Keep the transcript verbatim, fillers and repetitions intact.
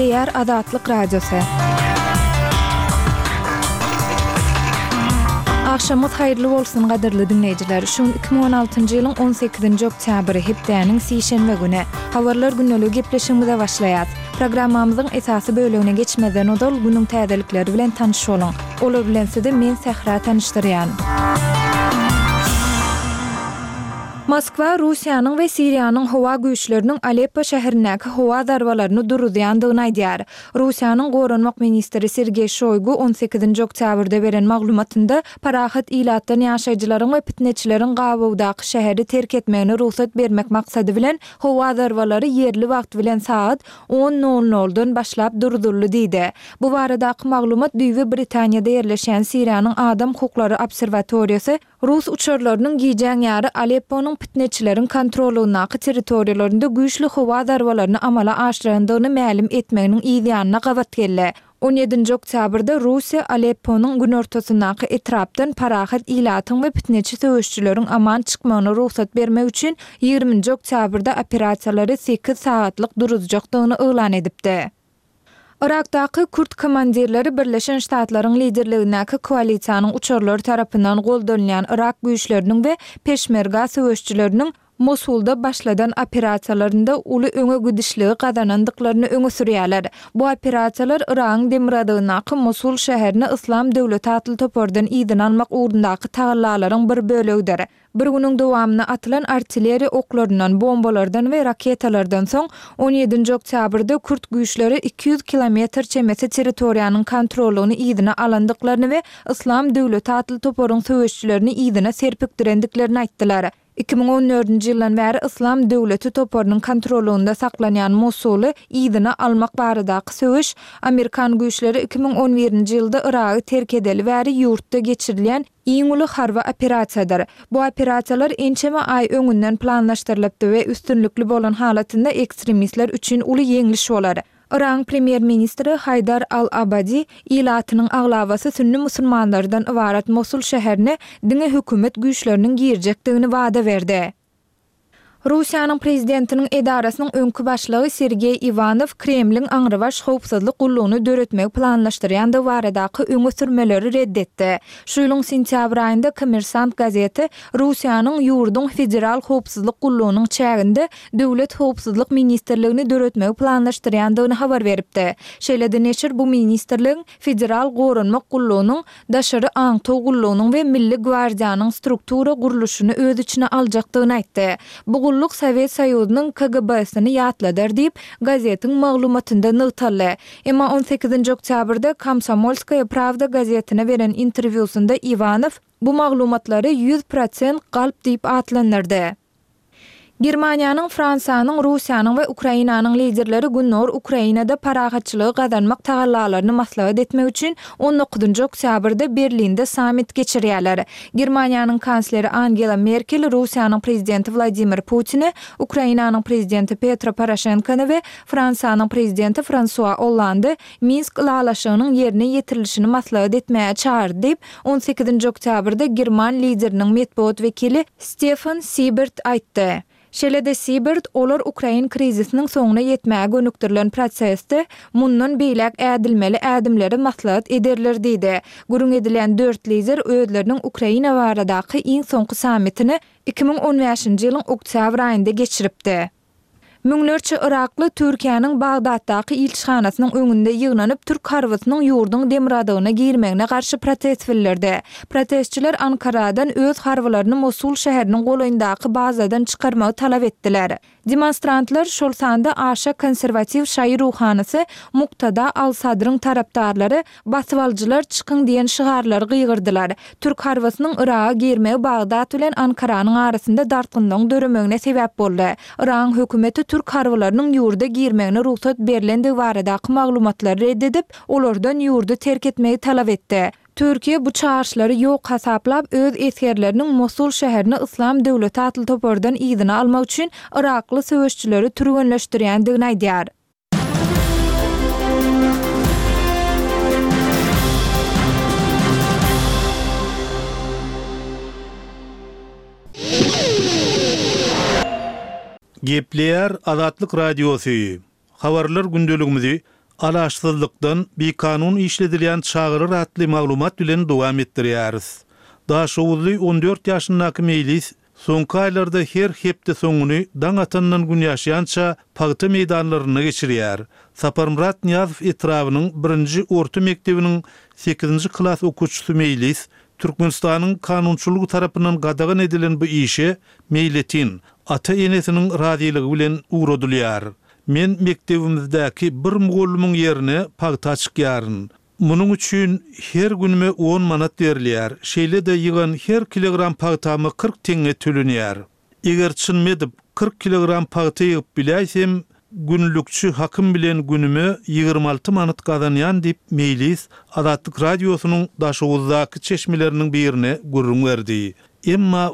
Gepleýär Azatlyk Radiosy. Agşamyňyz haýyrly bolsun, gadyrly diňleýjiler! Şu gün iki müň on altynjy ýylyň on sekizinji oktýabry, hepdäniň sişenbe güni. Habarlar gündeligi gepleşigimize başlaýas. Programmamyzyň esasy bölegine geçmezden ozal, günüň täzelikleri bilen tanyş boluň. Olar bilen sizi men Sähra tanyşdyrýan. Moskwa Russiýanyň we Siriýanyň howa güýçleriniň Aleppo şäherindäki howa zarbalaryny duruzýandygyny aýdýar. Russiýanyň goranmak ministri Sergeý Şoýgu on sekizinji oktýabrda beren maglumatynda parahat ilatdan ýaşaýjylaryň we pitneçileriň gabawdaky şäheri terk etmegine rugsat bermek maksady bilen howa zarbalary ýerli wagt bilen sagat on nol noldan başlap duruzyldy diýdi. Bu baradaky maglumat düýbi Britaniýada ýerleşýän Siriýanyň adam hukuklary obserwatoriýasy rus uçarlarynyň gijäň ýary Alepponyň pitneçileriň kontrollygyndaky territoriýalarynda güýçli howa zarbalaryny amala aşyrandygyny mälim etmeginiň yz ýanyna gabat geldi. On ýedinji oktýabrda Russiýa Alepponyň günortasyndaky etrapdan parahat ilatyň we pitneçi söweşijileriň aman çykmagyna rugsat bermek üçin ýigriminji oktýabrda operasiýalary sekiz sagatlyk duruzjakdygyny yglan edipdi. Yrakdaky kürt komandirleri Birleşen Ştatlaryň liderligindäki koalisiýanyň uçarlary tarapyndan goldanylýan yrak güýçleriniň we peşmerga söweşijileriniň Mosulda başladan operasiýalarynda uly öňe gidişligi gazanandyklaryny öňe sürýärler. Bu operasiýalar Yragyň demirgazygyndaky Mosul şäherini Yslam döwleti atly topardan yzyna almak ugrundaky tagallalaryň bir bölegidir. Bir günüň dowamynda atylan artilleriýa oklaryndan, bombalardan we raketalardan soň, on ýedinji oktýabrda kürt güýçleri iki ýüz kilometr çemesi territoriýanyň kontrollygyny yzyna alandyklaryny we Yslam döwleti atly toparyň söweşijilerini yzyna serpikdirendiklerini aýtdylar. Iki müň on dördünji ýyldan bäri Yslam döwleti toparynyň kontrollygynda saklanýan Mosuly yzyna almak baradaky söweş amerikan güýçleri iki müň on birinji ýylda Yragy terk edeli bäri ýurtda geçirilýän iň uly harby operasiýadyr. Bu operasiýalar ençeme aý öňünden planlaşdyrylypdy we üstünlikli bolan halatynda ekstremistler üçin uly ýeňliş bolar. Yragyň premýer-ministri Haýdar al-Abadi ilatynyň aglabasy sünni musulmanlardan ybarat Mosul şäherine diňe hökümet güýçleriniň girjekdigini wada berdi. Russiýanyň prezidentiniň edarasynyň öňki başlygy Sergeý Iwanow Kremliň aňrybaş howpsuzlyk gullugyny döretmegi planlaşdyrýandygy baradaky öňe sürmeleri red etdi. Şu ýylyň sentýabr aýynda Kommersant gazeti Russiýanyň ýurduň Federal howpsuzlyk gullugynyň çäginde Döwlet howpsuzlyk ministrligini döretmegi planlaşdyrýandygyny habar beripdi. Şeýle-de neşir bu ministrligiň Federal goranmak gullugynyň, Daşary aňtaw gullugynyň we Milli gwardiýanyň struktura gurluşyny öz içine aljakdygyny aýtdy. Bu gulluk Sowet Soýuzynyň K G B-sini ýatladar diýip, gazetiň maglumatynda nygtaldy. Emma on sekizinji oktýabrda Komsomolskaýa prawda gazetine beren interwýusynda Iwanow bu maglumatlary ýüz prosent galp diýip atlandyrdy. Germaniýanyň, Fransiýanyň, Russiýanyň we Ukrainanyň liderleri Gündogar Ukrainada parahatçylygy gazanmak tagallalaryny maslahat etmek üçin on dokuzynjy oktýabrda Berlinde sammit geçirýärler. Germaniýanyň kansleri Angela Merkel Russiýanyň prezidenti Wladimir Putini, Ukrainanyň prezidenti Petro Poroşenkony we Fransiýanyň prezidenti Fransua Ollandy Minsk ylalaşygynyň ýerine ýetirilişini maslahat etmäge çagyrdy diýip, on sekizinji oktýabrda german lideriniň metbugat wekili Stefan Sibert aýtdy. Şeýle-de Sibert olar ukrain krizisiniň soňuna ýetmäge gönükdirilen prosesde mundan beýläk ädilmeli ädimleri maslahat ederler diýdi. Gürrüň edilen dört lider özleriniň Ukraina baradaky iň soňky sammitini iki müň on bäşinji ýylyň oktýabr aýynda geçiripdi. Müňlerçe yrakly Türkiýäniň Bagdatdaky ilçihanasynyň öňünde ýygnanyp, türk harbysynyň ýurduň demirgazygyna girmegine garşy protest bildirdi. Protestçiler Ankaradan öz harbylaryny Mosul şäheriniň golaýyndaky bazadan çykarmagy talap etdiler. Demonstrantlar, şol sanda aşa konserwatiw şaýy ruhanysy Muktada al-Sadryň tarapdarlary basybalyjylar çykyň diýen şygarlary gygyrdylar. Türk harbysynyň Yraga girmegi Bagdat bilen Ankaranyň arasynda dartgynlygyň döremegine sebäp boldy. Yragyň hökümeti türk harbylarynyň ýurda girmegine rugsat berlendigi baradaky maglumatlary red edip, olardan ýurdy terk etmegi talap etdi. Türkiýe bu çagyryşlary ýok hasaplap, öz esgerleriniň Mosul şäherini Yslam döwleti atly topardan yzyna almak üçin yrakly söweşçileri türgenleşdirýändigini aýdýar. Gepleýär Azatlyk Radiosy. Habarlar gündeligimizi Alaçsyzlykdan bikanun işledilýän çagalar atly maglumat bilen dowam etdirýäris. Daşoguzly on dört ýaşyndaky Meýlis soňky aýlarda her hepde soňuny daň atandan gün ýaşýança pagta meýdanlarynda geçirýär. Saparmyrat Nyýazow etrabynyň birinji orta mekdebiniň sekizinji klas okuwçysy Meýlis Türkmenistanyň kanunçylygy tarapyndan gadagan edilen bu işe meýletin, ata-enesiniň razylygy bilen ugradylýar. Men mekdebimizdäki bir mugallymyň ýerine pagta çykýaryn. Munuň üçin her günüme on manat berilýär, şeýle-de ýygan her kilogram pagtama kyrk teňňe tölenýär. Eger çynym edip, kyrk kilogram pagta ýygyp biläýsem, günlükçi hakym bilen günüme ýigrimi alty manat gazanýan diýip, Meýlis Azatlyk Radiosynyň Daşoguzdaky çeşmeleriniň birine gürrüň berdi. Emma